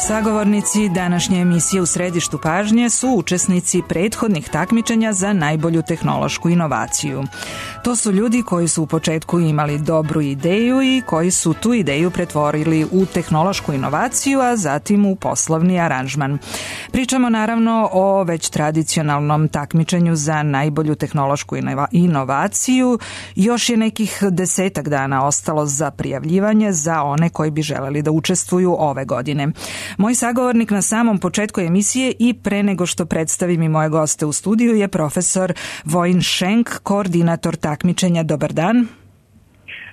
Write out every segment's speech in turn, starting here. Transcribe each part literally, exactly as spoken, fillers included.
Sagovornici današnje emisije U središtu pažnje su učesnici prethodnih takmičenja za najbolju tehnološku inovaciju. To su ljudi koji su u početku imali dobru ideju i koji su tu ideju pretvorili u tehnološku inovaciju, a zatim u poslovni aranžman. Pričamo naravno o već tradicionalnom takmičenju za najbolju tehnološku inovaciju. Još je nekih desetak dana ostalo za prijavljivanje za one koji bi želeli da učestvuju ove godine. Moj sagovornik na samom početku emisije i pre nego što predstavim i moje goste u studiju je profesor Vojin Šenk, koordinator takmičenja. Dobar dan.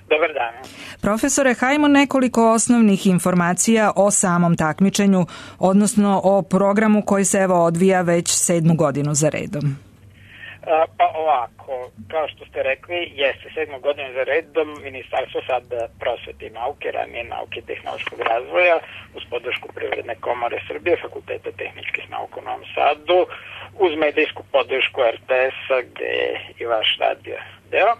Dobar dan. Profesore, hajmo nekoliko osnovnih informacija o samom takmičenju, odnosno o programu koji se evo odvija već sedmu godinu za redom. Pa ovako, kao što ste rekli, jeste sedmu godinu za redom Ministarstvo sad prosvete i nauke, ranije nauke i tehnološkog razvoja, uz podršku Privredne komore Srbije, Fakulteta tehničkih nauka u Novom Sadu, uz medijsku podršku er te es-a, gde je i vaš radio deo,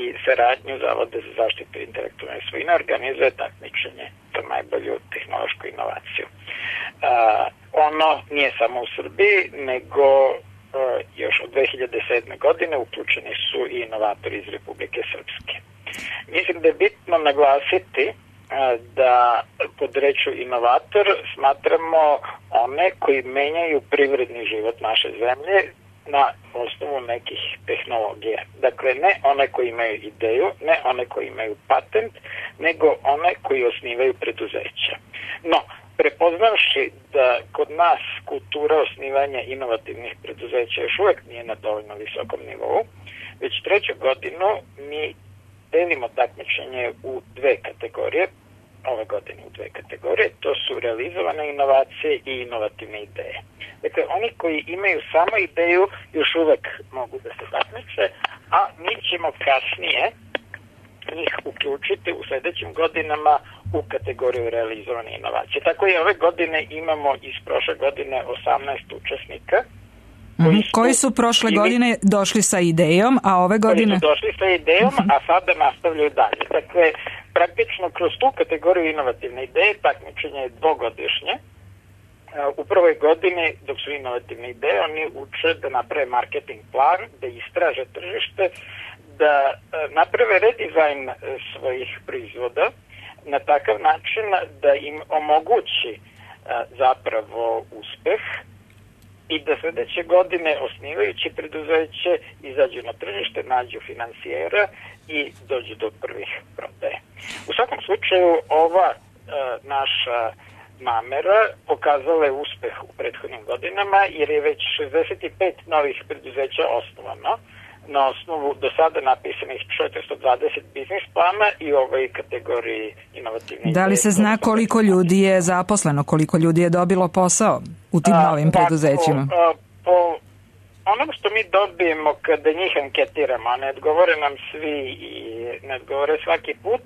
i saradnju Zavoda za zaštitu intelektualne svojine, organizuje takmičenje za najbolju tehnološku inovaciju. Uh, ono nije samo u Srbiji, nego još od dve hiljade sedme. godine uključeni su i inovatori iz Republike Srpske. Mislim da je bitno naglasiti da pod rečju inovator smatramo one koji menjaju privredni život naše zemlje na osnovu nekih tehnologija. Dakle, ne one koji imaju ideju, ne one koji imaju patent, nego one koji osnivaju preduzeća. No, prepoznavši da kod nas kultura osnivanja inovativnih preduzeća još uvek nije na dovoljno visokom nivou, već treću godinu mi delimo takmičenje u dve kategorije, ove godine u dve kategorije, to su realizovane inovacije i inovativne ideje. Dakle, oni koji imaju samo ideju još uvek mogu da se takmiče, a mi ćemo kasnije njih uključiti u sledećim godinama u kategoriju realizovane inovacije. Tako i ove godine imamo iz prošle godine osamnaest učesnika. Koji su, koji su prošle ili, godine došli sa idejom, a ove godine... Koji su došli sa idejom, a sada nastavljaju dalje. Dakle, praktično kroz tu kategoriju inovativne ideje takmičenje je dvogodišnje. U prvoj godini, dok su inovativne ideje, oni uče da naprave marketing plan, da istraže tržište, da naprave redizajn svojih proizvoda na takav način da im omogući zapravo uspeh i da sledeće godine osnivajući preduzeće izađu na tržište, nađu finansijera i dođu do prvih prodaje. U svakom slučaju ova naša namera pokazala je uspeh u prethodnim godinama jer je već šezdeset pet novih preduzeća osnovano na osnovu do sada napisanih četiristo dvadeset biznis plana i u ovoj kategoriji inovativne. Da li se zna koliko ljudi je zaposleno, koliko ljudi je dobilo posao u tim a, novim preduzećima? A, po onom što mi dobijemo kada njih anketiramo, a ne odgovore nam svi i ne odgovore svaki put,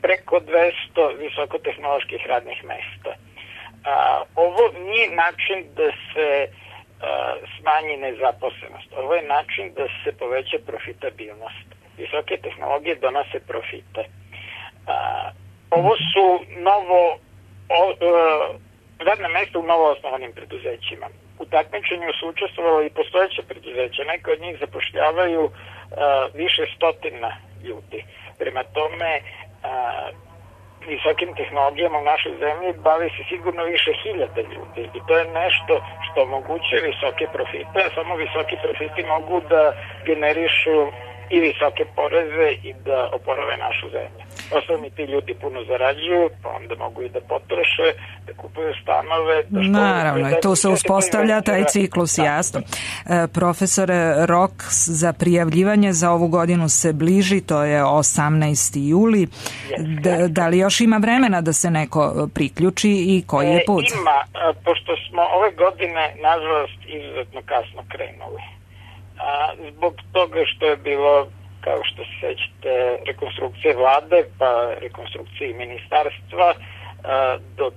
preko dvesta visokotehnoloških radnih mesta. A, ovo nije način da se smanji nezaposlenost. Ovo je način da se poveća profitabilnost. Visoke tehnologije donose profite. Ovo su novo o, radna mesta u novo osnovanim preduzećima. U takmičenju su učestvovali i postojeće preduzeća. Neke od njih zapošljavaju više stotina ljudi. Prema tome, visokim tehnologijama u našoj zemlji bavi se sigurno više hiljada ljudi i to je nešto što omogućuje visoke profite, a samo visoki profiti mogu da generišu i visoke poreze i da oporave našu zemlju. Osnovni ti ljudi puno zarađuju, pa onda mogu i da potroše, da kupuju stanove. Da što Naravno, i tu se uspostavlja taj ciklus, da. Jasno. E, profesore, rok za prijavljivanje za ovu godinu se bliži, to je osamnaesti juli. Da, da li još ima vremena da se neko priključi i koji je put? E, ima, pošto smo ove godine, nažalost, izuzetno kasno krenuli. A, zbog toga što je bilo, kao što se sećate, rekonstrukcije vlade, pa rekonstrukcije ministarstva, a, dok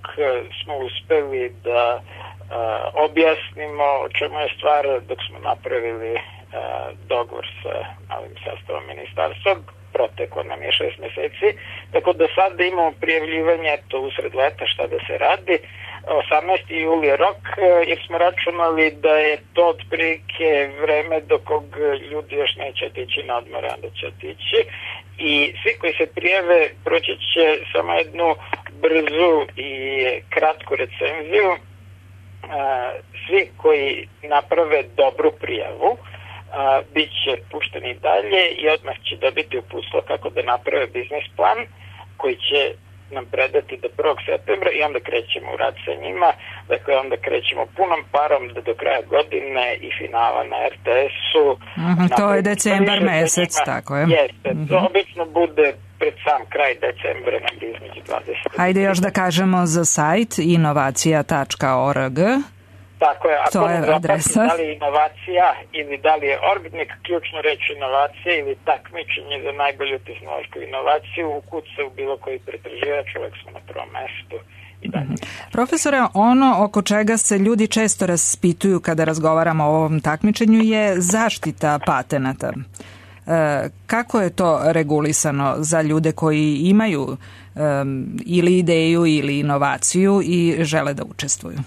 smo uspeli da a, objasnimo o čemu je stvar, dok smo napravili a, dogovor sa novim sastavom ministarstva, proteklo nam je šest meseci, tako da sad imamo prijavljivanje to usred leta šta da se radi, osamnaesti juli je rok, jer smo računali da je to otprilike vreme do kog ljudi još neće otići na odmor, onda će otići. I svi koji se prijave proći će samo jednu brzu i kratku recenziju. Svi koji naprave dobru prijavu bit će pušteni dalje i odmah će dobiti uputstvo kako da naprave biznis plan koji će nam predati do prvog septembra i onda krećemo u rad sa njima. Dakle, onda krećemo punom parom da do kraja godine i finala na er te esu. Mm-hmm, to je decembar mesec, tako je. Jeste, mm-hmm. To obično bude pred sam kraj decembra, negdje između dvadeset. Hajde još da kažemo za sajt inovacija tačka org. Tako je, to je adresa. Da li je inovacija ili da li je org, neka ključnu reč inovacija ili takmičenje za najbolju tehnološku inovaciju, ukuca u bilo koji pretraživač, uvek smo na prvom mestu. Mm-hmm. Profesore, ono oko čega se ljudi često raspituju kada razgovaramo o ovom takmičenju je zaštita patenata. E, kako je to regulisano za ljude koji imaju um, ili ideju ili inovaciju i žele da učestvuju?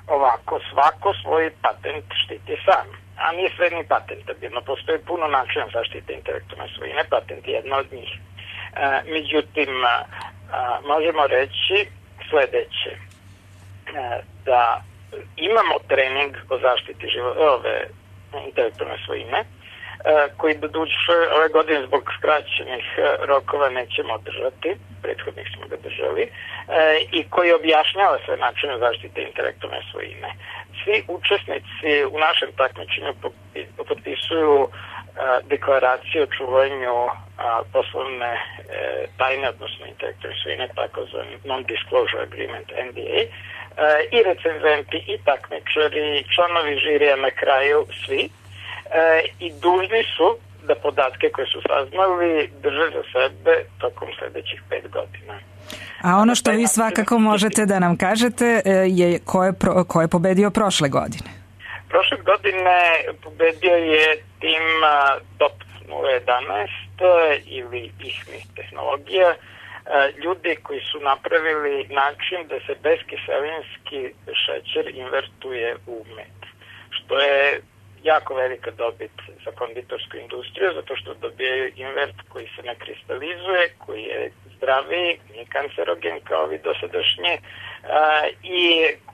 Ovako, svako svoj patent štiti sam, a nije sve ni patentabilno. Postoji puno načina zaštite intelektualne svojine, patent je jedna od njih. E, međutim, a, možemo reći sledeće, e, da imamo trening o zaštiti živo- ove intelektualne svojine, e, koji doduše ove godine zbog skraćenih rokova nećemo održati, prethodnih smo ga držali, e, i koji objašnjava sve načine zaštite intelektualne svojine. Svi učesnici u našem takmičenju potpisuju a, deklaraciju o čuvanju a, poslovne e, tajne, odnosno intelektualne svojine, takozvani non-disclosure agreement, en de a, e, i recenzenti, i takmičari, članovi žirija na kraju, svi, e, i dužni su da podatke koje su saznali drže za sebe tokom sledećih pet godina. A ono što vi svakako možete da nam kažete je ko je, pro, ko je pobedio prošle godine? Prošle godine pobedio je tim Top nula jedanaest ili ihmi tehnologija, ljudi koji su napravili način da se beskiselinski šećer invertuje u med, što je jako velika dobit za konditorsku industriju, zato što dobijaju invert koji se ne kristalizuje, koji je zdraviji, nije kancerogen kao ovi dosadašnji a, i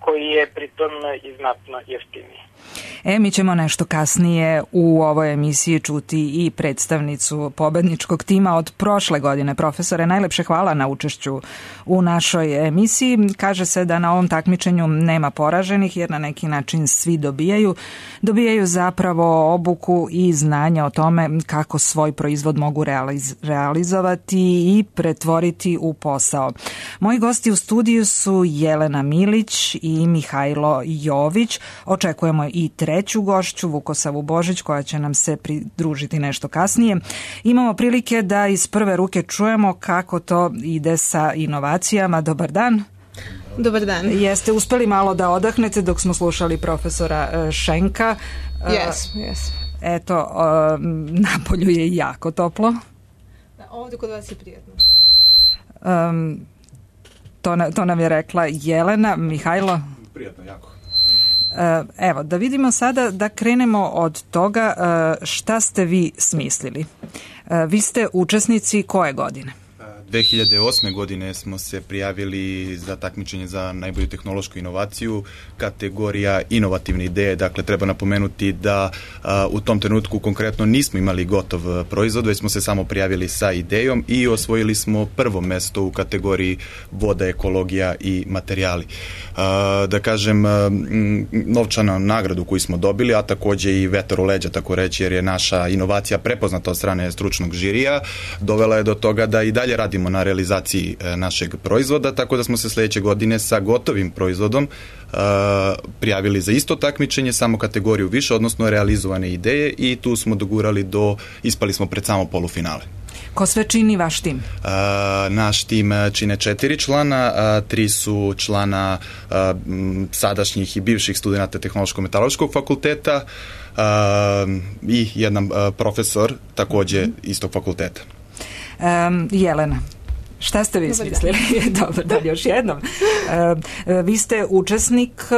koji je pritom i znatno jeftiniji. E, mi ćemo nešto kasnije u ovoj emisiji čuti i predstavnicu pobedničkog tima od prošle godine. Profesore, najlepše hvala na učešću u našoj emisiji. Kaže se da na ovom takmičenju nema poraženih jer na neki način svi dobijaju. Dobijaju zapravo obuku i znanja o tome kako svoj proizvod mogu realiz- realizovati i pretvoriti u posao. Moji gosti u studiju su Jelena Milić i Mihajlo Jović. Očekujemo i treću gošću, Vukosavu Božić, koja će nam se pridružiti nešto kasnije. Imamo prilike da iz prve ruke čujemo kako to ide sa inovacijama. Dobar dan. Dobar dan. Jeste uspeli malo da odahnete dok smo slušali profesora Šenka? Jes, jes. Eto, napolju je jako toplo. Ovdje kod vas je prijatno. Um, to, to nam je rekla Jelena. Mihajlo? Prijatno, jako. Evo, da vidimo sada, da krenemo od toga šta ste vi smislili. Vi ste učesnici koje godine? dve hiljade osme. godine smo se prijavili za takmičenje za najbolju tehnološku inovaciju, kategorija inovativne ideje. Dakle, treba napomenuti da a, u tom trenutku konkretno nismo imali gotov proizvod, već smo se samo prijavili sa idejom i osvojili smo prvo mesto u kategoriji voda, ekologija i materijali. A, da kažem, a, m, novčana nagradu koju smo dobili, a takođe i vetar u leđa, tako reći, jer je naša inovacija prepoznata od strane stručnog žirija, dovela je do toga da i dalje radimo na realizaciji e, našeg proizvoda, tako da smo se sledeće godine sa gotovim proizvodom e, prijavili za isto takmičenje, samo kategoriju više, odnosno realizovane ideje, i tu smo dogurali do, ispali smo pred samo polufinale. Ko sve čini vaš tim? E, naš tim čine četiri člana, a, tri su člana a, m, sadašnjih i bivših studenta Tehnološko-metaloškog fakulteta a, i jedan a, profesor takođe istog fakulteta. Um, Jelena. Šta ste vi smislili? Dobro, da, još jednom. E, vi ste učesnik e,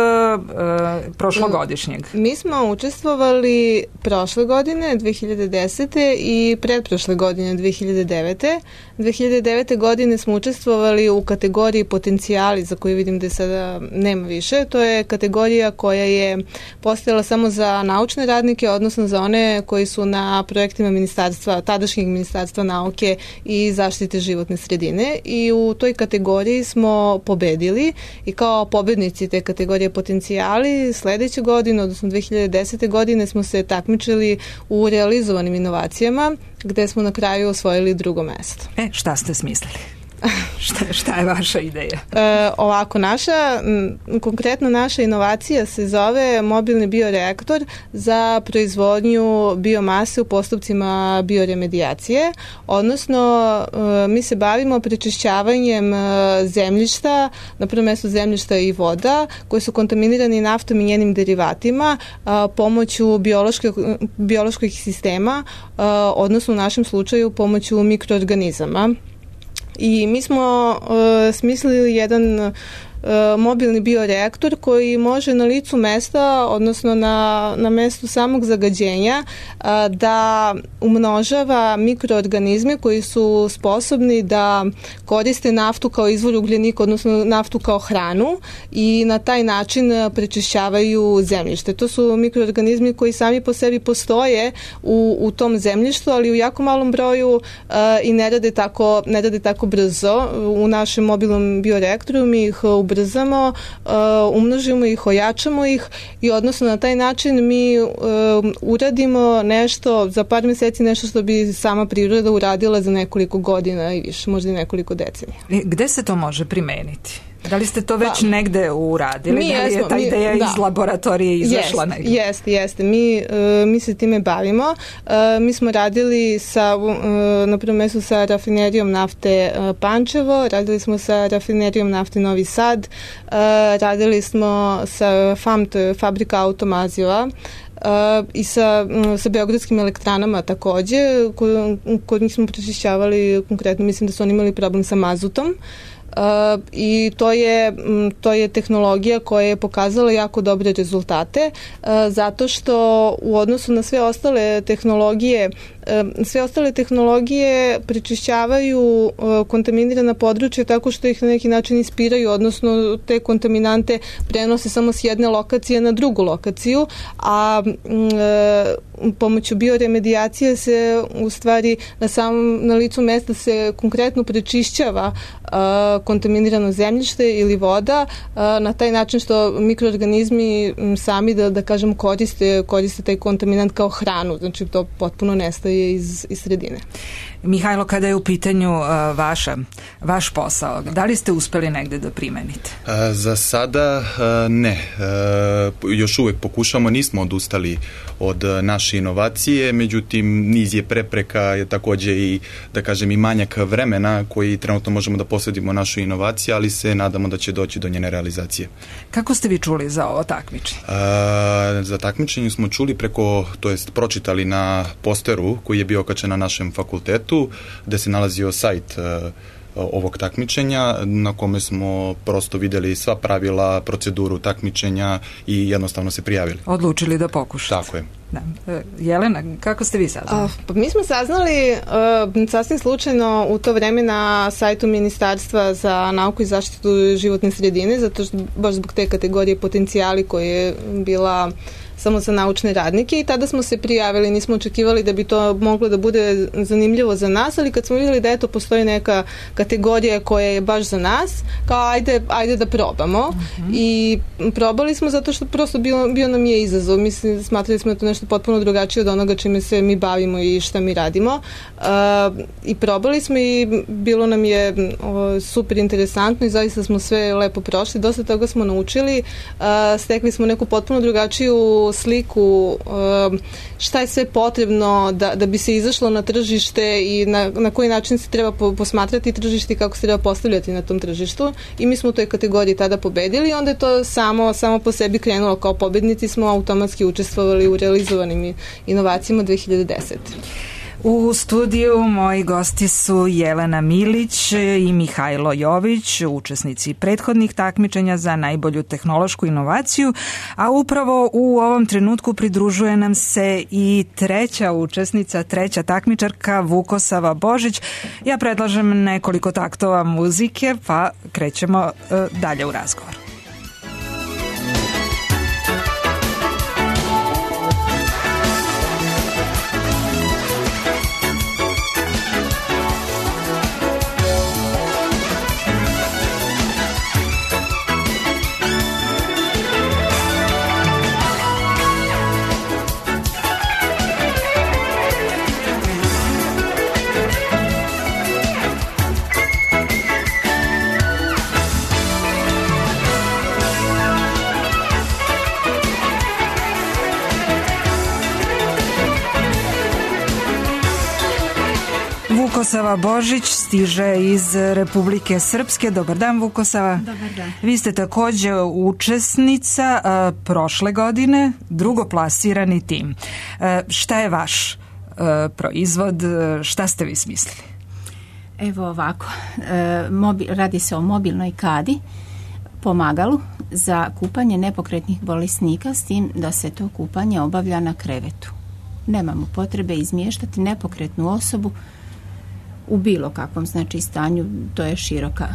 prošlogodišnjeg. Mi smo učestvovali prošle godine, dve hiljade desete i pretprošle godine, dve hiljade devete. dve hiljade devete. godine smo učestvovali u kategoriji potencijali, za koju vidim da sada nema više. To je kategorija koja je postojala samo za naučne radnike, odnosno za one koji su na projektima ministarstva, tadašnjeg ministarstva nauke i zaštite životne sredine. I u toj kategoriji smo pobedili i kao pobednici te kategorije potencijali sledeće godine, odnosno dve hiljade desete. godine smo se takmičili u realizovanim inovacijama, gde smo na kraju osvojili drugo mesto. E, šta ste smislili? šta, šta je vaša ideja? E, ovako, naša, m, konkretno naša inovacija se zove mobilni bioreaktor za proizvodnju biomase u postupcima bioremedijacije, odnosno e, mi se bavimo prečišćavanjem e, zemljišta, na prvom mestu zemljišta i voda, koji su kontaminirani naftom i njenim derivatima a, pomoću biološkog, biološkog sistema, a, odnosno u našem slučaju pomoću mikroorganizama. I mi smo uh, smislili jedan uh, mobilni bioreaktor koji može na licu mesta, odnosno na, na mestu samog zagađenja, uh, da umnožava mikroorganizme koji su sposobni da koriste naftu kao izvor ugljenika, odnosno naftu kao hranu i na taj način prečišćavaju zemljište. To su mikroorganizmi koji sami po sebi postoje u, u tom zemljištu, ali u jako malom broju uh, i ne rade tako, ne rade tako brzo. U našem mobilnom bioreaktoru mi ih ubrzamo, uh, umnožimo ih, ojačamo ih i odnosno na taj način mi uh, uradimo nešto za par meseci, nešto što bi sama priroda uradila za nekoliko godina i više, možda i nekoliko decenija. Gde se to može primeniti? Da li ste to već pa, negde uradili? Mi da li je jesmo, ta mi, ideja da. iz laboratorije izašla jest, negde? Jeste, jeste. Mi, uh, mi se time bavimo. Uh, mi smo radili sa, uh, na prvom mestu sa rafinerijom nafte uh, Pančevo, radili smo sa rafinerijom nafte Novi Sad, uh, radili smo sa F A M, to je fabrika auto Mazijeva, Uh, i sa, um, sa beogradskim elektranama takođe, kod, kod njih smo prečišćavali, konkretno mislim da su oni imali problem sa mazutom. Uh, i to je, to je tehnologija koja je pokazala jako dobre rezultate uh, zato što u odnosu na sve ostale tehnologije uh, sve ostale tehnologije prečišćavaju uh, kontaminirana područja tako što ih na neki način ispiraju, odnosno te kontaminante prenose samo s jedne lokacije na drugu lokaciju, a uh, pomoću bioremedijacije se u stvari na samom na licu mesta se konkretno prečišćava uh, kontaminirano zemljište ili voda na taj način što mikroorganizmi sami da, da kažem koriste, koriste taj kontaminant kao hranu, znači to potpuno nestaje iz, iz sredine. Mihajlo, kada je u pitanju uh, vaša, vaš posao, da li ste uspeli negde da primenite? A, za sada a, ne. A, još uvek pokušamo, nismo odustali od naše inovacije, međutim niz je prepreka, je takođe i, da kažem, i manjak vremena koji trenutno možemo da posvedimo našu inovaciju, ali se nadamo da će doći do njene realizacije. Kako ste vi čuli za ovo takmičenje? A, za takmičenje smo čuli preko, to jest pročitali na posteru koji je bio okačen na našem fakultetu, gde se nalazio sajt uh, ovog takmičenja na kome smo prosto videli sva pravila, proceduru takmičenja i jednostavno se prijavili. Odlučili da pokušate. Tako je. Da. Jelena, kako ste vi saznali? Uh, pa mi smo saznali uh, sasvim slučajno u to vreme na sajtu Ministarstva za nauku i zaštitu životne sredine, zato što baš zbog te kategorije potencijali koje je bila samo za naučne radnike i tada smo se prijavili, nismo očekivali da bi to moglo da bude zanimljivo za nas, ali kad smo vidjeli da eto postoji neka kategorija koja je baš za nas, kao ajde, ajde da probamo uh-huh. i probali smo zato što prosto bio, bio nam je izazov, mislim, smatrali smo da to nešto potpuno drugačije od onoga čime se mi bavimo i šta mi radimo uh, i probali smo i bilo nam je uh, super interesantno i zaista smo sve lepo prošli, dosta toga smo naučili, uh, stekli smo neku potpuno drugačiju sliku šta je sve potrebno da, da bi se izašlo na tržište i na, na koji način se treba posmatrati tržište i kako se treba postavljati na tom tržištu i mi smo u toj kategoriji tada pobedili i onda je to samo, samo po sebi krenulo, kao pobednici smo automatski učestvovali u realizovanim inovacijama dve hiljade desete. U studiju moji gosti su Jelena Milić i Mihajlo Jović, učesnici prethodnih takmičenja za najbolju tehnološku inovaciju, a upravo u ovom trenutku pridružuje nam se i treća učesnica, treća takmičarka Vukosava Božić. Ja predlažem nekoliko taktova muzike, pa krećemo dalje u razgovor. Vukosava Božić stiže iz Republike Srpske. Dobar dan, Vukosava. Dobar dan. Vi ste također učesnica a, prošle godine, drugoplasirani tim. A, šta je vaš a, proizvod? Šta ste vi smislili? Evo ovako, e, mobil, radi se o mobilnoj kadi, pomagalu za kupanje nepokretnih bolesnika, s tim da se to kupanje obavlja na krevetu. Nemamo potrebe izmještati nepokretnu osobu u bilo kakvom znači stanju, to je široka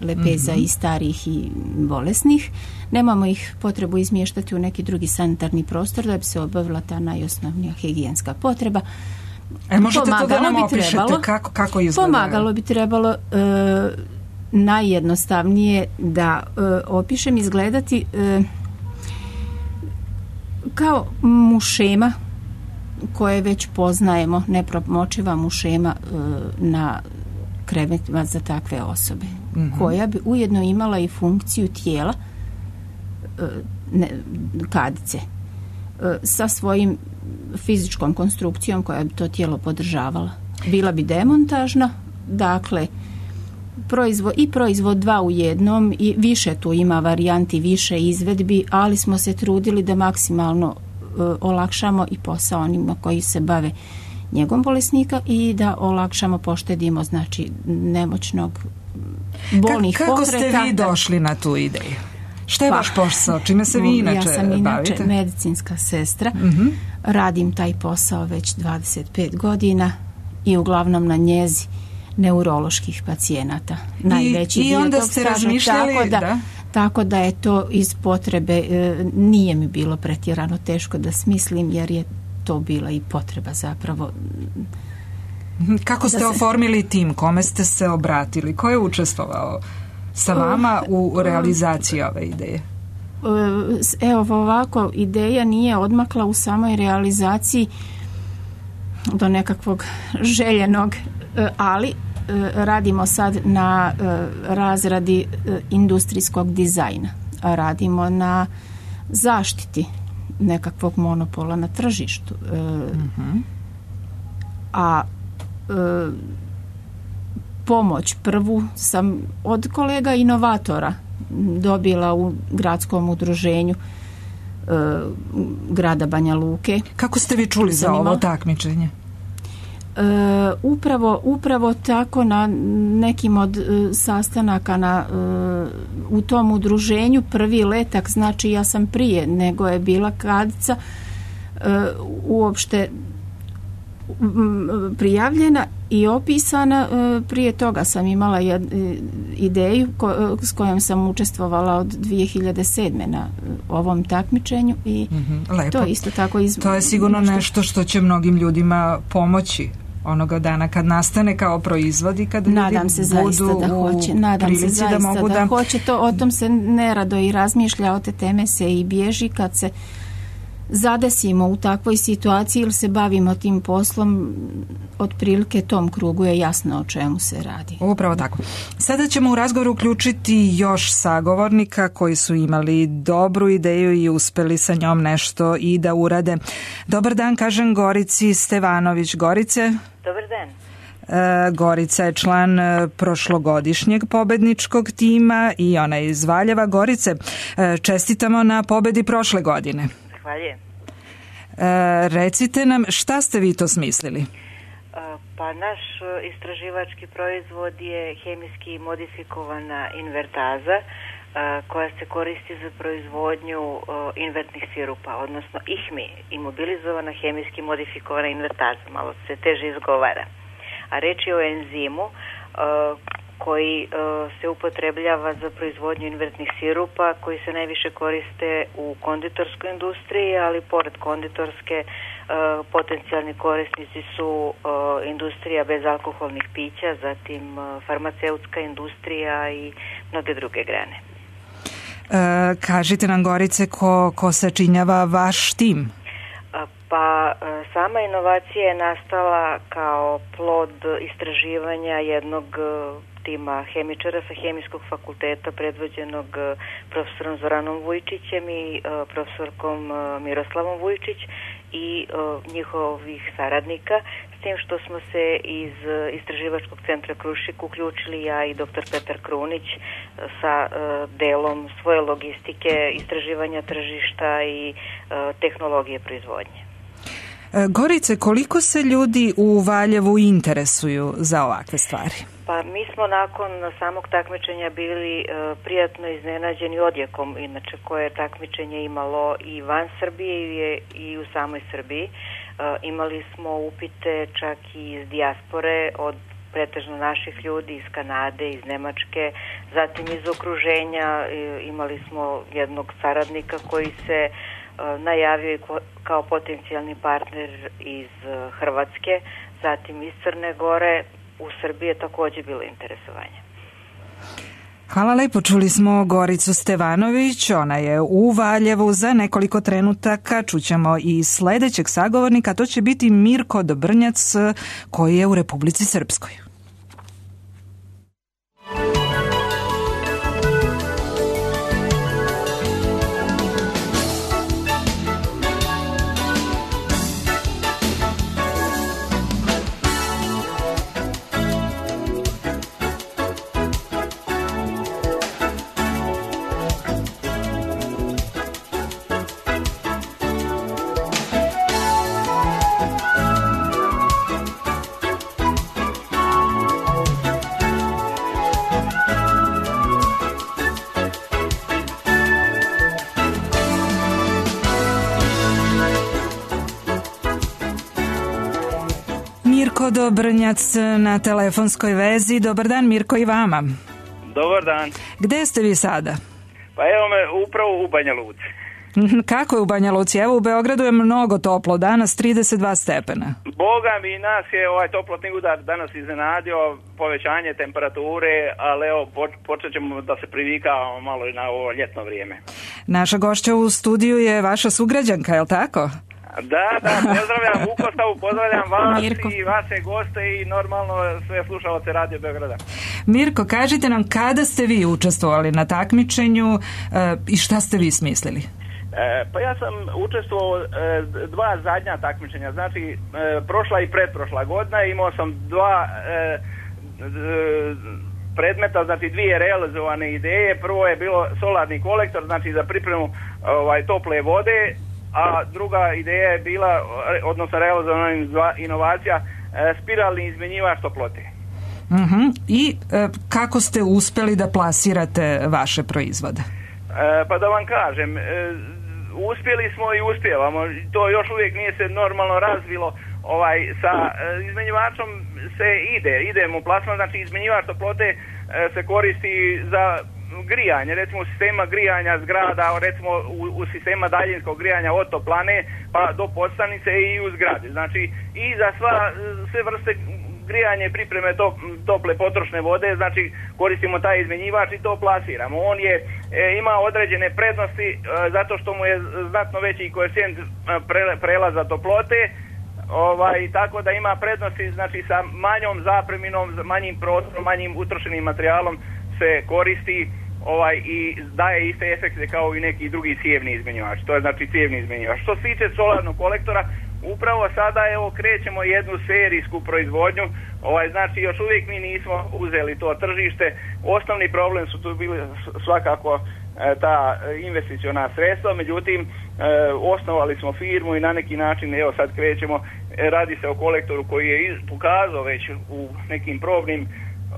lepeza mm-hmm. i starih i bolesnih. Nemamo ih potrebu izmještati u neki drugi sanitarni prostor da bi se obavila ta najosnovnija higijenska potreba. E, možete pomagalo to da nam opišete trebalo, kako, kako izgleda? Pomagalo bi trebalo e, najjednostavnije da e, opišem izgledati e, kao mušema koje već poznajemo, nepromočiva mušema e, na krevetima za takve osobe, mm-hmm. koja bi ujedno imala i funkciju tijela e, ne, kadice e, sa svojim fizičkom konstrukcijom koja bi to tijelo podržavala. Bila bi demontažna, dakle proizvod, i proizvod dva u jednom, i više tu ima varijanti, više izvedbi, ali smo se trudili da maksimalno olakšamo i posao onima koji se bave njegom bolesnika i da olakšamo, poštedimo znači nemoćnog bolnih Kako pokreta. Kako ste vi došli na tu ideju? Šta je pa, vaš posao? Čime se vi inače bavite? Ja sam inače bavite? medicinska sestra. Uh-huh. Radim taj posao već dvadeset pet godina i uglavnom na njezi neuroloških pacijenata. Najveći I, dio i onda tog ste staža, razmišljali tako da, da? Tako da je to iz potrebe, e, nije mi bilo pretjerano teško da smislim, jer je to bila i potreba zapravo. Kako ste se oformili tim? Kome ste se obratili? Ko je učestvovao sa vama u realizaciji ove ideje? Evo ovako, ideja nije odmakla u samoj realizaciji do nekakvog željenog, ali radimo sad na razradi industrijskog dizajna. Radimo na zaštiti nekakvog monopola na tržištu. Uh-huh. A pomoć prvu sam od kolega inovatora dobila u gradskom udruženju grada Banja Luke. Kako ste vi čuli za ovo takmičenje? Uh, upravo, upravo tako na nekim od uh, sastanaka na, uh, u tom udruženju prvi letak, znači ja sam prije nego je bila kadica uh, uopšte um, prijavljena i opisana. Uh, prije toga sam imala jed, uh, ideju ko, s kojom sam učestvovala od dvije hiljade sedme na uh, ovom takmičenju i mm-hmm, to je isto tako iz... To je sigurno nešto, nešto što će mnogim ljudima pomoći onoga dana kad nastane kao proizvod i kad nadam ljudi se budu da hoće. Nadam se zaista da mogu da, da hoće. To, o tom se nerado i razmišlja, o te teme se i bježi kad se zadesimo u takvoj situaciji ili se bavimo tim poslom, otprilike tom krugu je jasno o čemu se radi. Upravo tako. Sada ćemo u razgovoru uključiti još sagovornika koji su imali dobru ideju i uspeli sa njom nešto i da urade. Dobar dan, kažem Gorici Stevanović. Gorice? Dobar dan. Gorica je član prošlogodišnjeg pobedničkog tima i ona je iz Valjeva. Gorice, čestitamo na pobedi prošle godine. Zahvaljujem. Recite nam, šta ste vi to smislili? Pa naš istraživački proizvod je hemijski modifikovana invertaza koja se koristi za proizvodnju invertnih sirupa, odnosno I H M I, imobilizovana hemijski modifikovana invertaza, malo se teže izgovara. A reč je o enzimu koji se upotrebljava za proizvodnju invertnih sirupa, koji se najviše koriste u konditorskoj industriji, ali pored konditorske potencijalni korisnici su industrija bezalkoholnih pića, zatim farmaceutska industrija i mnoge druge grane. E, kažite nam, Gorice, ko, ko sačinjava vaš tim? Pa sama inovacija je nastala kao plod istraživanja jednog tima hemičara sa Hemijskog fakulteta predvođenog profesorom Zoranom Vujčićem i profesorkom Miroslavom Vujčić i njihovih saradnika, s tim što smo se iz Istraživačkog centra Krušik uključili ja i doktor Petar Krunić sa delom svoje logistike, istraživanja tržišta i tehnologije proizvodnje. Gorice, koliko se ljudi u Valjevu interesuju za ovakve stvari? Pa mi smo nakon samog takmičenja bili e, prijatno iznenađeni odjekom, inače koje je takmičenje imalo i van Srbije i u samoj Srbiji. E, imali smo upite čak i iz dijaspore od pretežno naših ljudi iz Kanade, iz Nemačke, zatim iz okruženja e, imali smo jednog saradnika koji se najavio kao potencijalni partner iz Hrvatske, zatim iz Crne Gore. U Srbiji je također bilo interesovanje. Hvala lepo, čuli smo Goricu Stevanović, ona je u Valjevu. Za nekoliko trenutaka čućemo i sledećeg sagovornika, to će biti Mirko Dobrnjac koji je u Republici Srpskoj. Mirko Dobrnjac na telefonskoj vezi. Dobar dan, Mirko, i vama. Dobar dan. Gde ste vi sada? Pa evo me upravo u Banja Luci. Kako je u Banja Luci? Evo u Beogradu je mnogo toplo, danas trideset dva stepena. Boga mi, nas je ovaj toplotni udar danas iznenadio, povećanje temperature, ali evo počet ćemo da se privikavamo malo na ovo ljetno vrijeme. Naša gošća u studiju je vaša sugrađanka, je li tako? Da, da, pozdravljam Vukostavu, pozdravljam vas Mirko. I vaše goste i normalno sve slušalce Radio Beograda. Mirko, kažite nam kada ste vi učestvovali na takmičenju e, i šta ste vi smislili? E, pa ja sam učestvovao e, dva zadnja takmičenja, znači e, prošla i pretprošla godina, imao sam dva e, d, predmeta, znači dvije realizovane ideje. Prvo je bilo solarni kolektor, znači za pripremu ovaj, tople vode, a druga ideja je bila, odnosno realizovana inovacija, spiralni izmjenjivač toplote. Uh-huh. I e, kako ste uspjeli da plasirate vaše proizvode? E, pa da vam kažem, e, uspjeli smo i uspjevamo. To još uvijek nije se normalno razvilo. Ovaj, sa e, izmjenjivačom se ide, idemo plasman, znači izmjenjivač toplote e, se koristi za grijanje, recimo u sistema grijanja zgrada, recimo u, u sistema daljinskog grijanja od toplane pa do podstanice i u zgradi. Znači i za sva, sve vrste grijanje pripreme to, tople potrošne vode, znači koristimo taj izmjenjivač i to plasiramo. On je, e, ima određene prednosti e, zato što mu je znatno veći koeficijent pre, prelaza toplote, ovaj, tako da ima prednosti, znači sa manjom zapreminom, manjim prostorom, manjim utrošenim materijalom se koristi ovaj, i daje iste efekte kao i neki drugi cijevni izmjenjivač. To je znači cijevni izmjenjivač. Što se tiče solarnog kolektora, upravo sada evo krećemo jednu serijsku proizvodnju. Ovaj, znači još uvijek mi nismo uzeli to tržište. Osnovni problem su tu bili svakako ta investiciona sredstva, međutim osnovali smo firmu i na neki način, evo sad krećemo, radi se o kolektoru koji je pokazao već u nekim probnim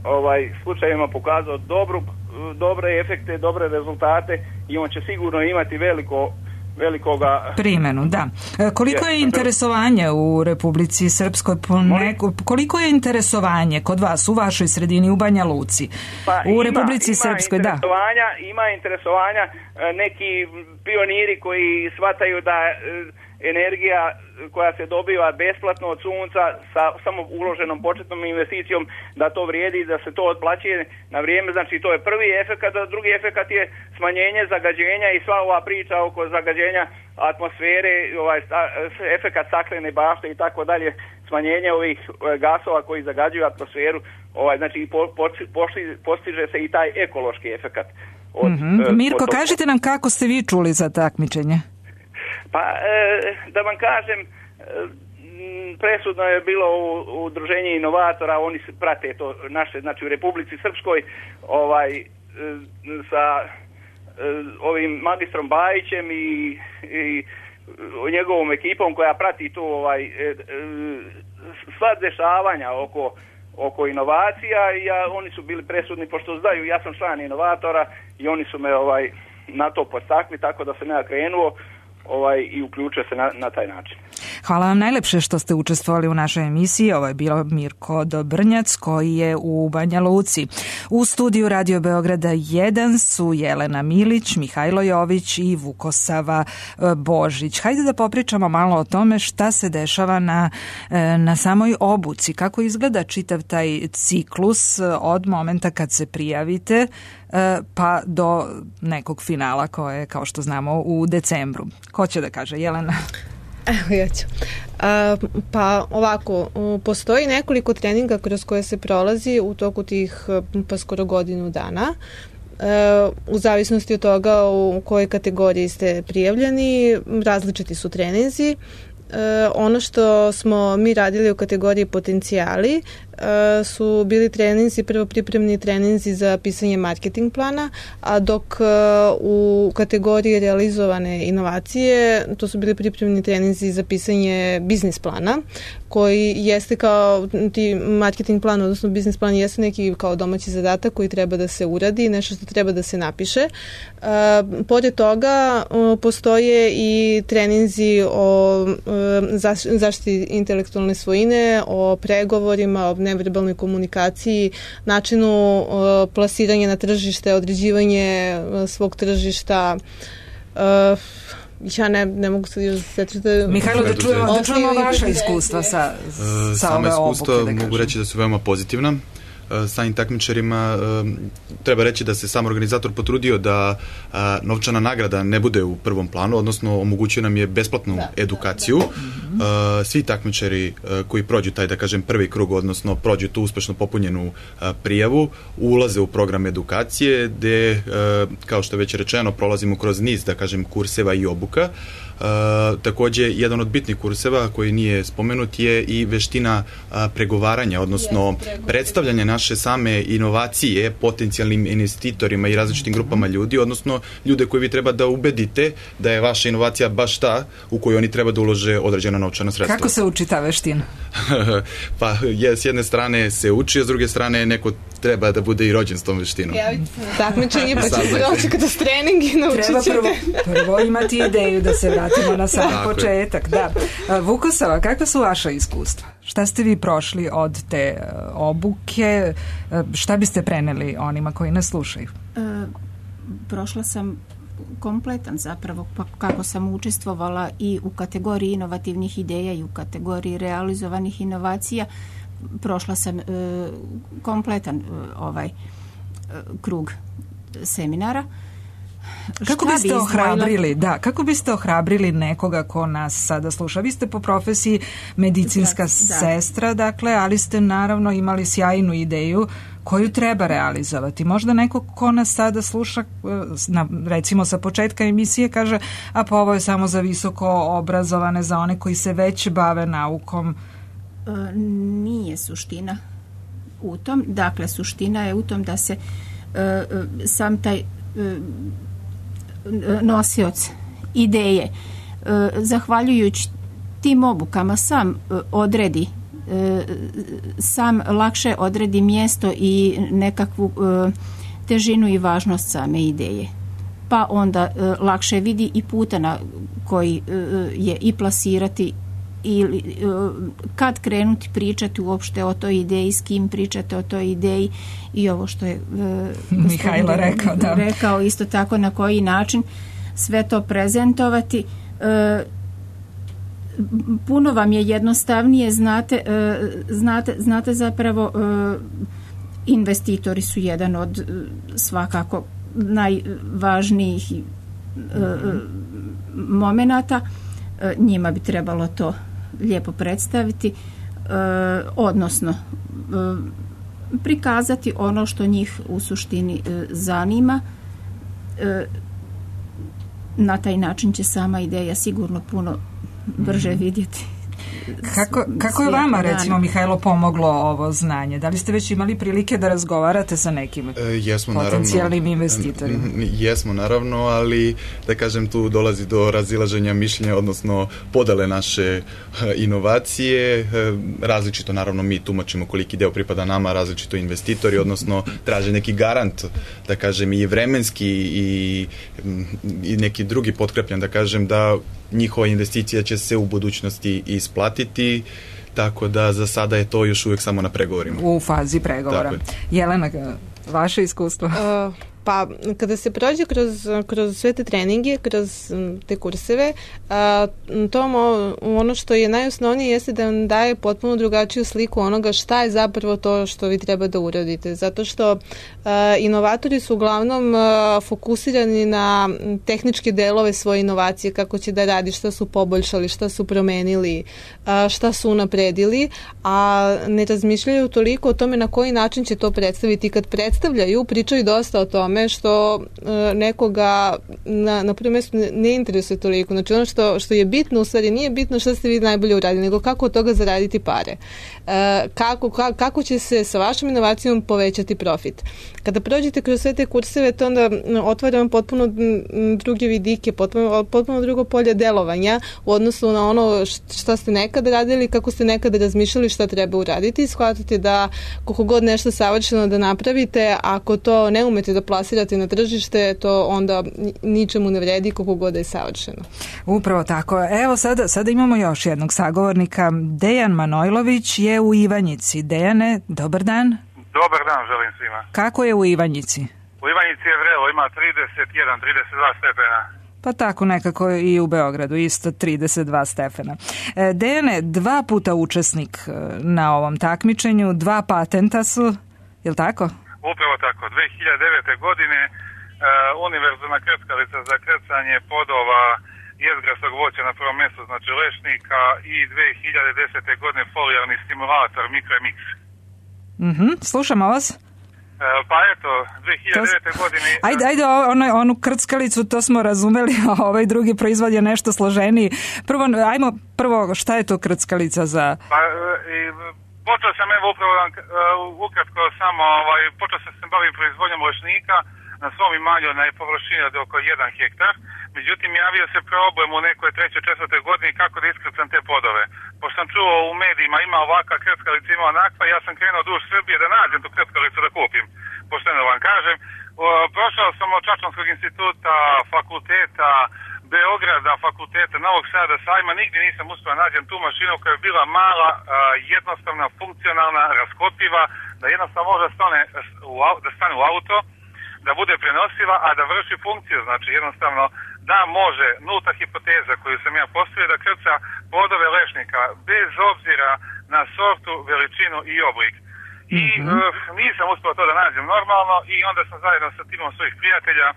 ovaj slučajevima pokazao dobru, dobre efekte, dobre rezultate i on će sigurno imati veliko velikoga primjenu, da. Koliko je interesovanje u Republici Srpskoj? Po neko, koliko je interesovanje kod vas u vašoj sredini u Banja Luci? Pa u ima, Republici ima Srpskoj, da. Ima interesovanja, neki pioniri koji shvataju da energija koja se dobiva besplatno od sunca sa samo uloženom početnom investicijom, da to vrijedi, da se to otplaćuje na vrijeme, znači to je prvi efekat, a drugi efekat je smanjenje zagađenja i sva ova priča oko zagađenja atmosfere, ovaj efekat staklene bašte i tako dalje, smanjenje ovih gasova koji zagađuju atmosferu, ovaj znači po, po, postiže se i taj ekološki efekat. Od, mm-hmm. Mirko, od kažite nam kako ste vi čuli za takmičenje? Pa, da vam kažem, presudno je bilo u udruženje inovatora, oni se prate to naše, znači u Republici Srpskoj, ovaj, sa ovim magistrom Bajićem i, i njegovom ekipom koja prati tu ovaj, sva dešavanja oko, oko inovacija, i ja, oni su bili presudni, pošto znaju, ja sam član inovatora i oni su me ovaj, na to podstakli, tako da sam ja krenuo ovaj, i uključuje se na, na taj način. Hvala vam najlepše što ste učestvovali u našoj emisiji. Ovo je bilo Mirko Dobrnjac koji je u Banja Luci. U studiju Radio Beograda jedan su Jelena Milić, Mihajlo Jović i Vukosava Božić. Hajde da popričamo malo o tome šta se dešava na, na samoj obuci. Kako izgleda čitav taj ciklus od momenta kad se prijavite pa do nekog finala koje je, kao što znamo, u decembru. Ko će da kaže? Jelena? Evo ja ću. A, pa ovako, postoji nekoliko treninga kroz koje se prolazi u toku tih pa skoro godinu dana. E, u zavisnosti od toga u kojoj kategoriji ste prijavljeni, različiti su treninzi. E, ono što smo mi radili u kategoriji potencijali e, su bili treninzi, prvo pripremni treninzi za pisanje marketing plana, a dok e, u kategoriji realizovane inovacije to su bili pripremni treninzi za pisanje biznis plana, koji jeste kao ti marketing plan, odnosno biznis plan jeste neki kao domaći zadatak koji treba da se uradi, nešto što treba da se napiše. E, pored toga e, postoje i treninzi o zaštiti intelektualne svojine, o pregovorima, o neverbalnoj komunikaciji, načinu uh, plasiranja na tržište, određivanje uh, svog tržišta. Uh, ja ne, ne mogu se još setiti. Mihajlo, da čujemo, da čujemo vaša iskustva sa, sa Sama ove iskustva obuke, da mogu reći da su veoma pozitivna. Samim takmičarima treba reći da se sam organizator potrudio da novčana nagrada ne bude u prvom planu, odnosno omogućio nam je besplatnu da, edukaciju. Da, da. Svi takmičari koji prođu taj, da kažem, prvi krug, odnosno prođu tu uspešno popunjenu prijavu, ulaze u program edukacije gde, kao što je već rečeno, prolazimo kroz niz, da kažem, kurseva i obuka. Uh, takođe, jedan od bitnih kurseva koji nije spomenut je i veština uh, pregovaranja, odnosno yes, predstavljanja naše same inovacije potencijalnim investitorima i različitim grupama ljudi, odnosno ljude koji vi treba da ubedite da je vaša inovacija baš ta u kojoj oni treba da ulože određena novčana sredstva. Kako se uči ta veština? Pa je, s jedne strane se uči, a s druge strane neko treba da bude i rođen s tom veštinom. Takmičenje, pa će se doći kada s trening i naučit ćete. Treba prvo, prvo imati ideju da se vratimo na sam početak. Da. Vukosava, kakva su vaša iskustva? Šta ste vi prošli od te obuke? Šta biste preneli onima koji nas slušaju? E, prošla sam kompletan zapravo, pa kako sam učestvovala i u kategoriji inovativnih ideja i u kategoriji realizovanih inovacija. Prošla sam e, kompletan e, ovaj e, krug seminara. Kako biste bi ohrabrili, da, kako biste ohrabrili nekoga ko nas sada sluša? Vi ste po profesiji medicinska da. sestra, dakle, ali ste naravno imali sjajnu ideju koju treba realizovati. Možda neko ko nas sada sluša, na, recimo sa početka emisije, kaže, a pa ovo je samo za visoko obrazovane, za one koji se već bave naukom. E, nije suština u tom. Dakle, suština je u tom da se e, sam taj e, nosioc ideje, zahvaljujući tim obukama sam odredi sam lakše odredi mjesto i nekakvu težinu i važnost same ideje. Pa onda lakše vidi i puta na koji je i plasirati ili kad krenuti pričati uopšte o toj ideji, s kim pričati o toj ideji i ovo što je Mihajlo rekao, da. rekao isto tako na koji način sve to prezentovati. Puno vam je jednostavnije, znate, znate, znate zapravo investitori su jedan od svakako najvažnijih momenata. Njima bi trebalo to lijepo predstaviti, odnosno prikazati ono što njih u suštini zanima. Na taj način će sama ideja sigurno puno brže vidjeti. Kako, kako je vama, recimo, Mihajlo, pomoglo ovo znanje? Da li ste već imali prilike da razgovarate sa nekim e, jesmo, potencijalnim naravno, investitorima? Jesmo, naravno, ali da kažem, tu dolazi do razilaženja mišljenja, odnosno podele naše inovacije. Različito, naravno, mi tumačimo koliki deo pripada nama, različito investitori, odnosno traže neki garant, da kažem, i vremenski i, i neki drugi potkrepljan, da kažem, da njihova investicija će se u budućnosti isplatiti, tako da za sada je to još uvijek samo na pregovorima. U fazi pregovora. Jelena, vaše iskustvo? Uh, pa, kada se prođe kroz, kroz sve te treninge, kroz te kurseve, uh, to ono što je najosnovnije jeste da vam daje potpuno drugačiju sliku onoga šta je zapravo to što vi treba da uradite. Zato što uh, inovatori su uglavnom uh, fokusirani na tehničke delove svoje inovacije, kako će da radi, šta su poboljšali, šta su promenili, uh, šta su unapredili, a ne razmišljaju toliko o tome na koji način će to predstaviti. Kad predstavljaju, pričaju dosta o tome što e, nekoga na, na prvom mjestu ne, ne interesuje toliko. Znači ono što, što je bitno, u stvari nije bitno što ste vi najbolje uradili, nego kako od toga zaraditi pare. E, kako, ka, kako će se sa vašom inovacijom povećati profit. Kada prođete kroz sve te kurseve, to onda otvara vam potpuno druge vidike, potpuno, potpuno drugo polje delovanja u odnosu na ono šta ste nekada radili, kako ste nekada razmišljali šta treba uraditi. Shvatate da koliko god nešto savršeno da napravite, ako to ne umete da plasirate na tržište, to onda ničemu ne vredi koliko god da je savršeno. Upravo tako. Evo sada, sada imamo još jednog sagovornika. Dejan Manojlović je u Ivanjici. Dejane, dobar dan. Dobar dan, želim svima. Kako je u Ivanjici? U Ivanjici je vrelo, ima trideset jedan trideset dva stepena. Pa tako nekako i u Beogradu, isto trideset dva stepena. E, Dejane, dva puta učesnik na ovom takmičenju, dva patenta su, je li tako? Upravo tako. dve hiljade devete. godine uh, univerzalna krckalica za krcanje podova jezgrasog voća na prvom mjestu, znači lešnika, i dve hiljade desete. godine folijarni stimulator Mikromix. Mhm, slušamo vas. Pa eto, dve hiljade devete. godine... Ajde, ajde, ono, onu krckalicu, to smo razumeli, a ovaj drugi proizvod je nešto složeniji. Prvo, ajmo prvo, šta je to krckalica za... Pa, i, počeo sam, evo, upravo uh, ukratko samo, ovaj, počeo sam se bavim proizvodnjom lešnika na svom imanju na površini od oko jedan hektar. Međutim, javio se problem u nekoj trećoj, četvrtoj godini kako da iskrcam te podove. Pošto sam čuo u medijima ima ovakva krckalica, ima onakva, ja sam krenuo duž Srbije da nađem tu krckalicu da kupim. Pošteno vam kažem, prošao sam od Čačanskog instituta, fakulteta, Beograda, fakulteta, Novog Sada, Sajma, nigdje nisam uspio nađem tu mašinu koja je bila mala, jednostavna, funkcionalna, raskopiva, da jednostavno može stane u, da stane u auto, da bude prenosiva, a da vrši funkciju, znači jednostavno da može, nulta hipoteza koju sam ja postavio, da krca podove lešnika bez obzira na sortu, veličinu i oblik. I mm-hmm. uh, nisam uspio to da nađem normalno i onda sam zajedno sa timom svojih prijatelja,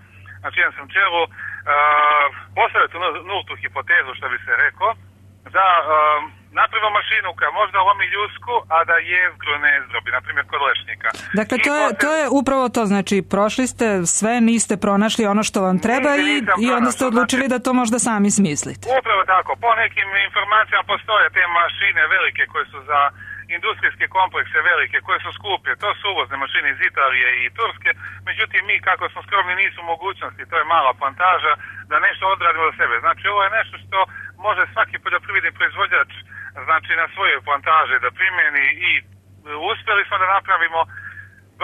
na čijem sam čelu, uh, postavio tu nultu hipotezu, što bi se rekao, da uh, napravimo mašinu koja možda lomi ljusku, a da jezgru ne zdrobi, na primjer kod lešnika. Dakle, to je, to je upravo to, znači prošli ste sve, niste pronašli ono što vam treba i, i onda ste odlučili znači, da to možda sami smislite. Upravo tako, po nekim informacijama postoje te mašine velike koje su za industrijske komplekse velike koje su skupe, to su uvozne mašine iz Italije i Turske, međutim mi kako smo skromni nisu mogućnosti, to je mala plantaža da nešto odradimo za sebe. Znači ovo je nešto što može svaki poljoprivredni proizvođač znači na svojoj plantaži da primjeni i uspjeli smo da napravimo.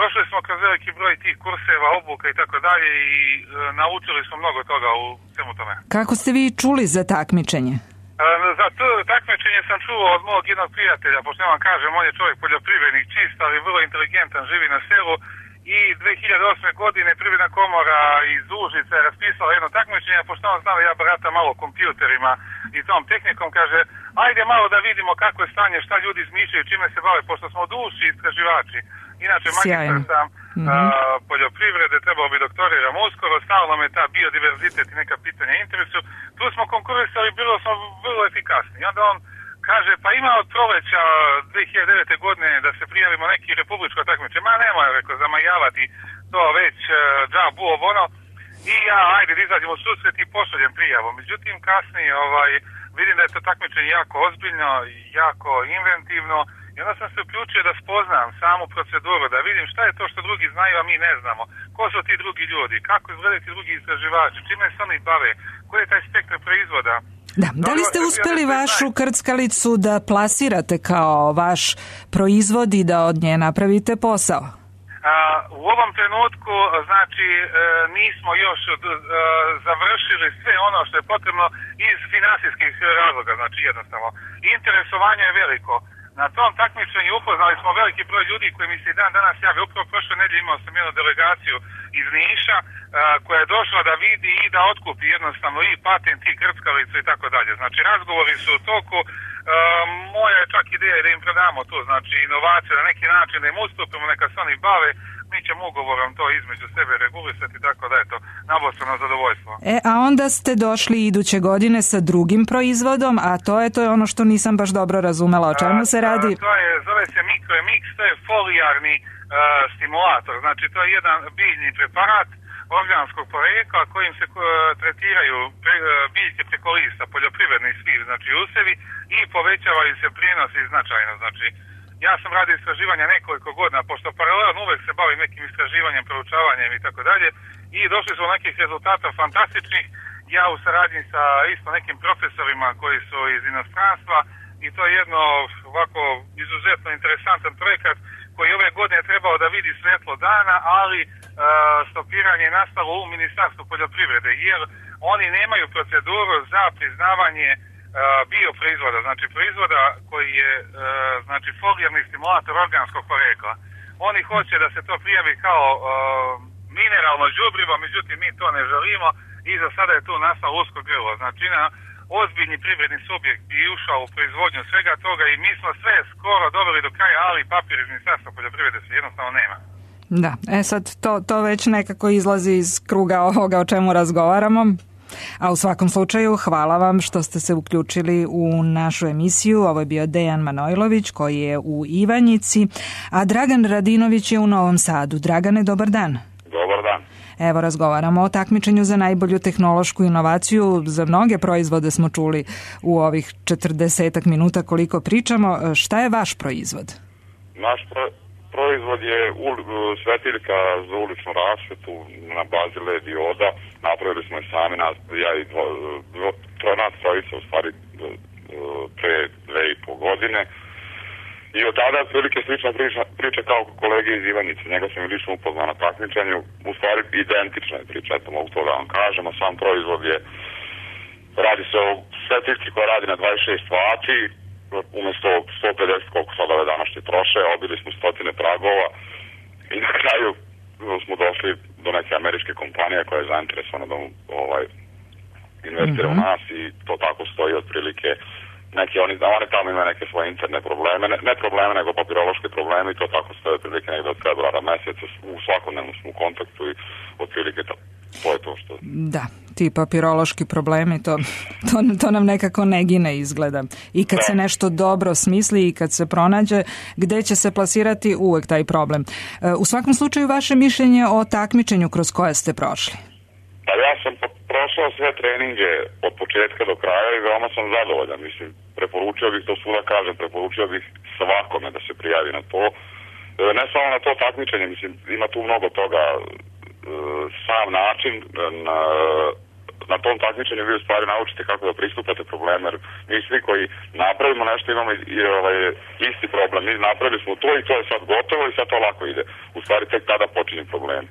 Došli smo kroz veliki broj tih kurseva, obuka i tako dalje i e, naučili smo mnogo toga u svemu tome. Kako ste vi čuli za takmičenje? E, za to takmičenje sam čuo od mog jednog prijatelja, pošto ja vam kažem, on je čovjek poljoprivrednik, čist, ali vrlo inteligentan, živi na selu i dve hiljade osme. godine Privredna komora iz Užica je raspisala jedno takmičenje, pošto on znao ja barata malo kompjuterima i tom tehnikom, kaže, ajde malo da vidimo kako je stanje, šta ljudi izmišljaju, čime se bave, pošto smo duši istraživači. Inače, magistar sam mm-hmm. a, poljoprivrede, trebao bi doktoriram uskoro, stalno me ta biodiverzitet i neka pitanja interesu. Tu smo konkurisali, bilo smo vrlo efikasni. I onda on kaže, pa ima od proleća dve hiljade devete. godine da se prijavimo neki republičko takmičenje. Ma nemoj, rekao, zamajavati to već uh, džabu ono. I ja, ajde, da izađemo u susret i pošaljem prijavu. Međutim, kasnije ovaj, vidim da je to takmičenje jako ozbiljno, jako inventivno. I onda sam se uključio da spoznam samu proceduru, da vidim šta je to što drugi znaju, a mi ne znamo. Ko su ti drugi ljudi, kako izgledaju ti drugi istraživači, čime se oni bave, koji je taj spektar proizvoda. Da, da li ste uspeli vašu krckalicu da plasirate kao vaš proizvod i da od nje napravite posao? A, u ovom trenutku, znači, e, nismo još e, završili sve ono što je potrebno iz finansijskih razloga, znači jednostavno. Interesovanje je veliko. Na tom takmičenju upoznali smo veliki broj ljudi koji mi se i dan danas jave. Upravo prošle nedelje imao sam jednu delegaciju iz Niša a, koja je došla da vidi i da otkupi jednostavno i patent i krckalicu i tako dalje. Znači razgovori su u toku. A, moja je čak ideja da im prodamo to, znači inovacije na neki način, da im ustupimo, neka se oni bave. Mi ćemo ugovorom to između sebe regulisati, tako da je to nabostrano zadovoljstvo. E, a onda ste došli iduće godine sa drugim proizvodom, a to je to je ono što nisam baš dobro razumela. O čemu se radi? A, to je, zove se MikroMix, to je folijarni uh, stimulator. Znači, to je jedan biljni preparat organskog porekla kojim se uh, tretiraju pre, uh, biljke preko lista, poljoprivredni svi, znači usevi, i povećavaju se prijenosi značajno. Znači, ja sam radio istraživanja nekoliko godina, pošto paralelno uvek se bavim nekim istraživanjem, proučavanjem i tako dalje, i došli smo nekih rezultata fantastičnih. Ja u saradnji sa isto nekim profesorima koji su iz inostranstva, i to je jedno ovako izuzetno interesantan projekat koji ove godine trebao da vidi svetlo dana, ali e, stopiranje je nastalo u Ministarstvu poljoprivrede, jer oni nemaju proceduru za priznavanje bioproizvoda, znači proizvoda koji je znači folijarni stimulator organskog porekla. Oni hoće da se to prijavi kao uh, mineralno đubrivo, međutim mi to ne želimo i za sada je tu nastalo usko grlo. Znači na ozbiljni privredni subjekt bi ušao u proizvodnju svega toga i mi smo sve skoro doveli do kraja, ali papir iz Ministarstva poljoprivrede se jednostavno nema. Da, e sad to, to već nekako izlazi iz kruga ovoga o čemu razgovaramo. A u svakom slučaju hvala vam što ste se uključili u našu emisiju. Ovo je bio Dejan Manojlović koji je u Ivanjici, a Dragan Radinović je u Novom Sadu. Dragane, dobar dan. Dobar dan. Evo razgovaramo o takmičenju za najbolju tehnološku inovaciju. Za mnoge proizvode smo čuli u ovih četrdesetak minuta koliko pričamo. Šta je vaš proizvod? Naš pro... proizvod je ul, svetiljka za uličnu rasvetu na bazi L E D dioda. Napravili smo je sami, nas, ja i dvo, dvo, tro, nas trojica u stvari pre dve i po godine. I od tada je prilike slična priča, priča kao kolege iz Ivanjice. Njega sam i lično upoznao na takmičenju. U stvari identična je priča, eto mogu to da vam kažem. A sam proizvod je, radi se o svetiljci koja radi na dvadeset šest vati. Umjesto sto pedeset koliko sad ove današnje troše, obili smo stotine pragova i na kraju smo došli do neke američke kompanije koja je zainteresovana da ovaj, investira mm-hmm. u nas i to tako stoji otprilike. Neki, oni, oni tamo imaju neke svoje interne probleme, ne, ne probleme nego papirološke probleme i to tako stoji otprilike negdje od februara mjeseca. U svakodnevno smo u kontaktu i otprilike to, to je to što... Da, ti papirološki problemi, to, to, to nam nekako ne gine izgleda. I kad da. se nešto dobro smisli i kad se pronađe, gde će se plasirati uvek taj problem. U svakom slučaju vaše mišljenje o takmičenju kroz koje ste prošli? Pa ja sam prošao sve treninge od početka početka do kraja i veoma sam zadovoljan. Mislim, preporučio bih, to svuda kažem, preporučio bih svakome da se prijavi na to. Ne samo na to takmičenje, mislim, ima tu mnogo toga, sam način na, na tom takmičenju vi u stvari naučite kako da pristupate probleme, jer mi svi koji napravimo nešto imamo i, i ovaj, isti problem. Mi napravili smo to i to je sad gotovo i sad to lako ide. U stvari tek tada počinje problem.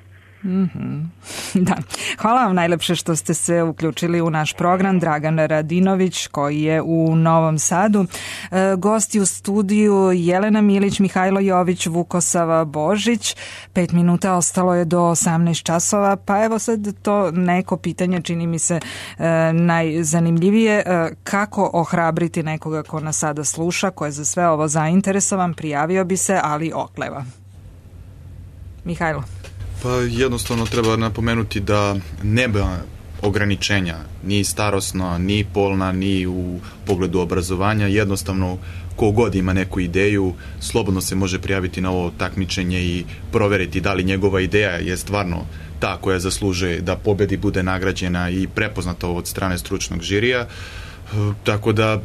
Mm-hmm. Da. Hvala vam najlepše što ste se uključili u naš program. Dragan Radinović koji je u Novom Sadu. E, gosti u studiju Jelena Milić, Mihajlo Jović, Vukosava Božić. Pet minuta ostalo je do osamnaest časova, pa evo sad to neko pitanje čini mi se e, najzanimljivije. E, kako ohrabriti nekoga ko nas sada sluša, ko je za sve ovo zainteresovan, prijavio bi se, ali okleva. Mihajlo. Pa jednostavno treba napomenuti da nema ograničenja, ni starosna, ni polna, ni u pogledu obrazovanja. Jednostavno, ko god ima neku ideju, slobodno se može prijaviti na ovo takmičenje i proveriti da li njegova ideja je stvarno ta koja zaslužuje da pobedi, bude nagrađena i prepoznata od strane stručnog žirija. Tako da,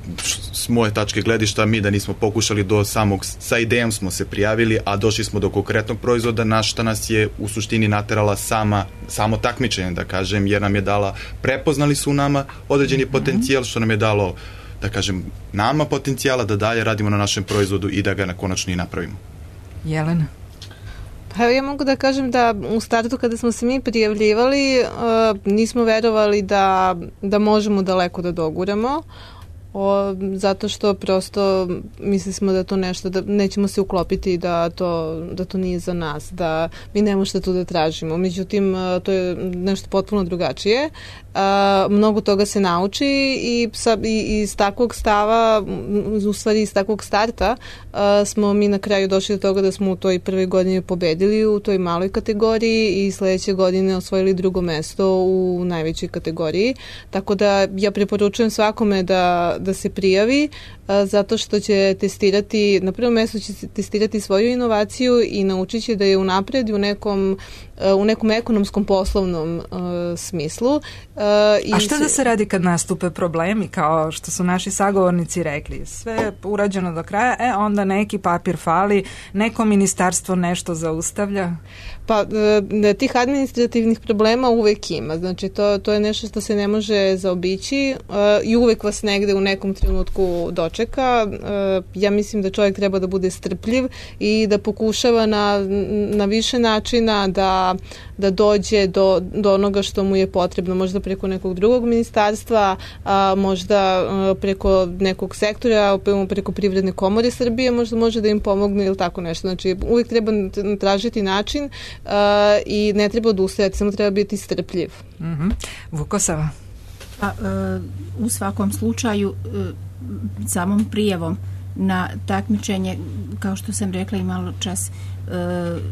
s moje tačke gledišta, mi da nismo pokušali do samog, sa idejom smo se prijavili, a došli smo do konkretnog proizvoda, na šta nas je u suštini naterala sama, samo takmičenje, da kažem, jer nam je dala, prepoznali su u nama određeni potencijal, što nam je dalo, da kažem, nama potencijala da dalje radimo na našem proizvodu i da ga na konačno i napravimo. Jelena? Pa ja mogu da kažem da u startu kada smo se mi prijavljivali uh, nismo verovali da, da možemo daleko da doguramo, o, zato što prosto mislili smo da to nešto, da nećemo se uklopiti da to, da to nije za nas, da mi nemamo šta tu da tražimo. Međutim, uh, to je nešto potpuno drugačije. Uh, mnogo toga se nauči i, sa, i iz takvog stava, u stvari iz takvog starta uh, smo mi na kraju došli do toga da smo u toj prvoj godini pobedili u toj maloj kategoriji i sledeće godine osvojili drugo mesto u najvećoj kategoriji. Tako da ja preporučujem svakome da, da se prijavi, uh, zato što će testirati, na prvom mestu će testirati svoju inovaciju i naučit će da je unapredi u nekom, uh, u nekom ekonomskom poslovnom uh, smislu. Uh, A šta da se radi kad nastupe problemi, kao što su naši sagovornici rekli? Sve je urađeno do kraja, e onda neki papir fali, neko ministarstvo nešto zaustavlja? Pa e, tih administrativnih problema uvek ima, znači to, to je nešto što se ne može zaobići e, i uvek vas negde u nekom trenutku dočeka. E, ja mislim da čovjek treba da bude strpljiv i da pokušava na, na više načina da, da dođe do, do onoga što mu je potrebno, možda preko nekog drugog ministarstva, a, možda a, preko nekog sektora, preko Privredne komore Srbije, možda može da im pomogne ili tako nešto. Znači uvek treba tražiti način Uh, i ne treba odustajati, samo treba biti strpljiv. Mm-hmm. Vukosava? Pa, uh, u svakom slučaju uh, samom prijavom na takmičenje, kao što sam rekla i malo čas, uh,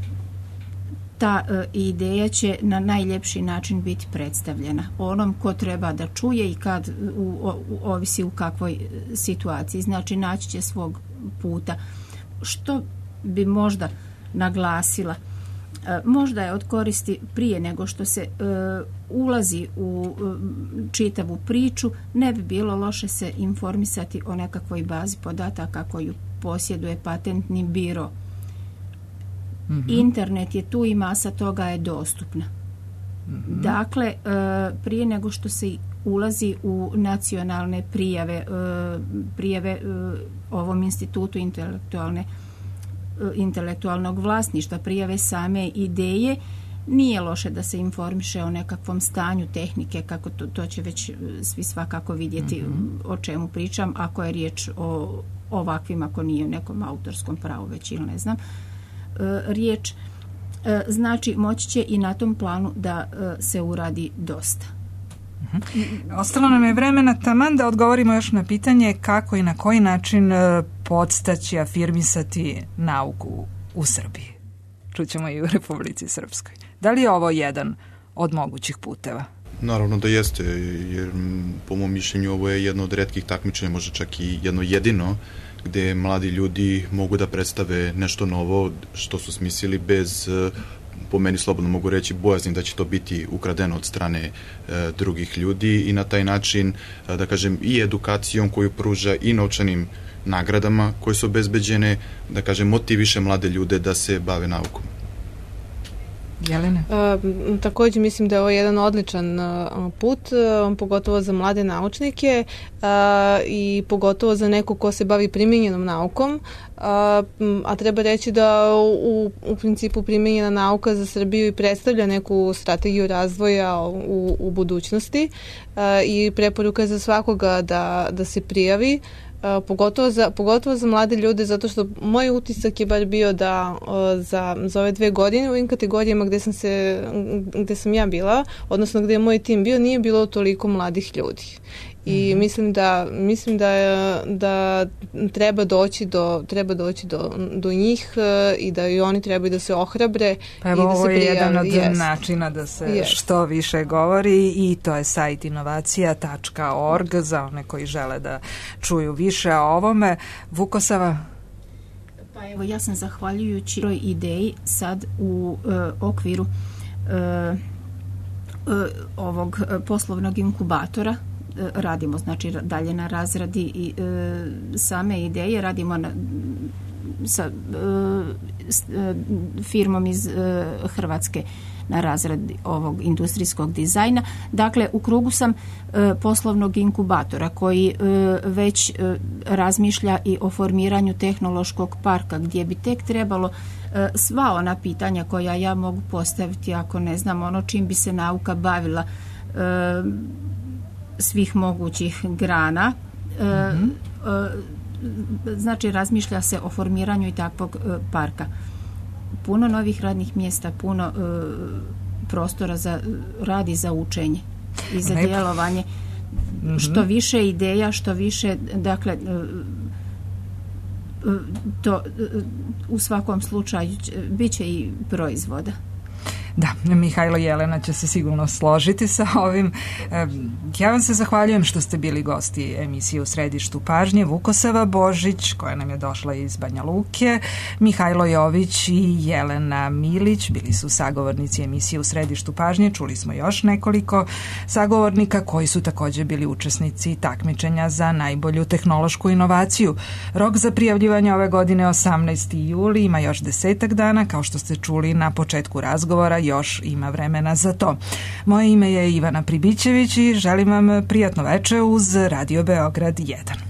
ta uh, ideja će na najljepši način biti predstavljena onom ko treba da čuje i kad u, u, ovisi u kakvoj situaciji. Znači naći će svog puta. Što bi možda naglasila, možda je od koristi prije nego što se e, ulazi u e, čitavu priču, ne bi bilo loše se informisati o nekakvoj bazi podataka koju posjeduje patentni biro. Mm-hmm. Internet je tu i masa toga je dostupna. Mm-hmm. Dakle, e, prije nego što se ulazi u nacionalne prijave, e, prijave e, ovom institutu intelektualne intelektualnog vlasništva, prijave same ideje, nije loše da se informiše o nekakvom stanju tehnike, kako to, to će već svi svakako vidjeti mm-hmm. o čemu pričam, ako je riječ o ovakvim, ako nije u nekom autorskom pravu već ili ne znam. E, riječ, e, znači moći će i na tom planu da e, se uradi dosta. Ostalo nam je vremena taman da odgovorimo još na pitanje kako i na koji način podstaći, afirmisati nauku u Srbiji. Čućemo i u Republici Srpskoj. Da li je ovo jedan od mogućih puteva? Naravno da jeste, jer po mom mišljenju ovo je jedno od retkih takmičenja, možda čak i jedno jedino, gde mladi ljudi mogu da predstave nešto novo što su smislili bez po meni slobodno mogu reći, bojazni da će to biti ukradeno od strane e, drugih ljudi i na taj način, e, da kažem, i edukacijom koju pruža i novčanim nagradama koje su obezbeđene, da kažem, motiviše mlade ljude da se bave naukom. Jelena? E, također mislim da je ovo jedan odličan uh, put, uh, pogotovo za mlade naučnike uh, i pogotovo za neko ko se bavi primjenjenom naukom, uh, a treba reći da u, u principu primjenjena nauka za Srbiju i predstavlja neku strategiju razvoja u, u budućnosti uh, i preporuka je za svakoga da, da se prijavi. Uh, pogotovo, za, pogotovo za mlade ljude, zato što moj utisak je bar bio da uh, za, za ove dve godine u ovim kategorijama gde sam, se, gde sam ja bila, odnosno gde je moj tim bio, nije bilo toliko mladih ljudi. I mm-hmm. mislim da mislim da da treba doći do treba doći do, do njih uh, i da i oni trebaju da se ohrabre pa evo, i da se prijave. Ovo je jedan od yes. načina da se yes. što više govori i to je sajt inovacija tačka org za one koji žele da čuju više o ovome. Vukosava? Pa evo, ja sam zahvaljujući toj ideji sad u uh, okviru uh, uh, ovog poslovnog inkubatora radimo, znači dalje na razradi i e, same ideje, radimo na, sa e, s, e, firmom iz e, Hrvatske na razradi ovog industrijskog dizajna. Dakle, u krugu sam e, poslovnog inkubatora koji e, već e, razmišlja i o formiranju tehnološkog parka gdje bi tek trebalo e, sva ona pitanja koja ja mogu postaviti ako ne znam ono čim bi se nauka bavila e, svih mogućih grana. Mm-hmm. E, znači razmišlja se o formiranju i takvog e, parka. Puno novih radnih mjesta, puno e, prostora za radi za učenje i za Lepo. djelovanje. Mm-hmm. Što više ideja, što više, dakle, e, to u svakom slučaju bit će i proizvoda. Da, Mihajlo i Jelena će se sigurno složiti sa ovim. Ja vam se zahvaljujem što ste bili gosti emisije U središtu pažnje. Vukosava Božić, koja nam je došla iz Banja Luke, Mihajlo Jović i Jelena Milić bili su sagovornici emisije U središtu pažnje. Čuli smo još nekoliko sagovornika koji su također bili učesnici takmičenja za najbolju tehnološku inovaciju. Rok za prijavljivanje ove godine osamnaesti juli, ima još desetak dana, kao što ste čuli na početku razgovora, još ima vremena za to. Moje ime je Ivana Pribićević i želim vam prijatno veče uz Radio Beograd jedan.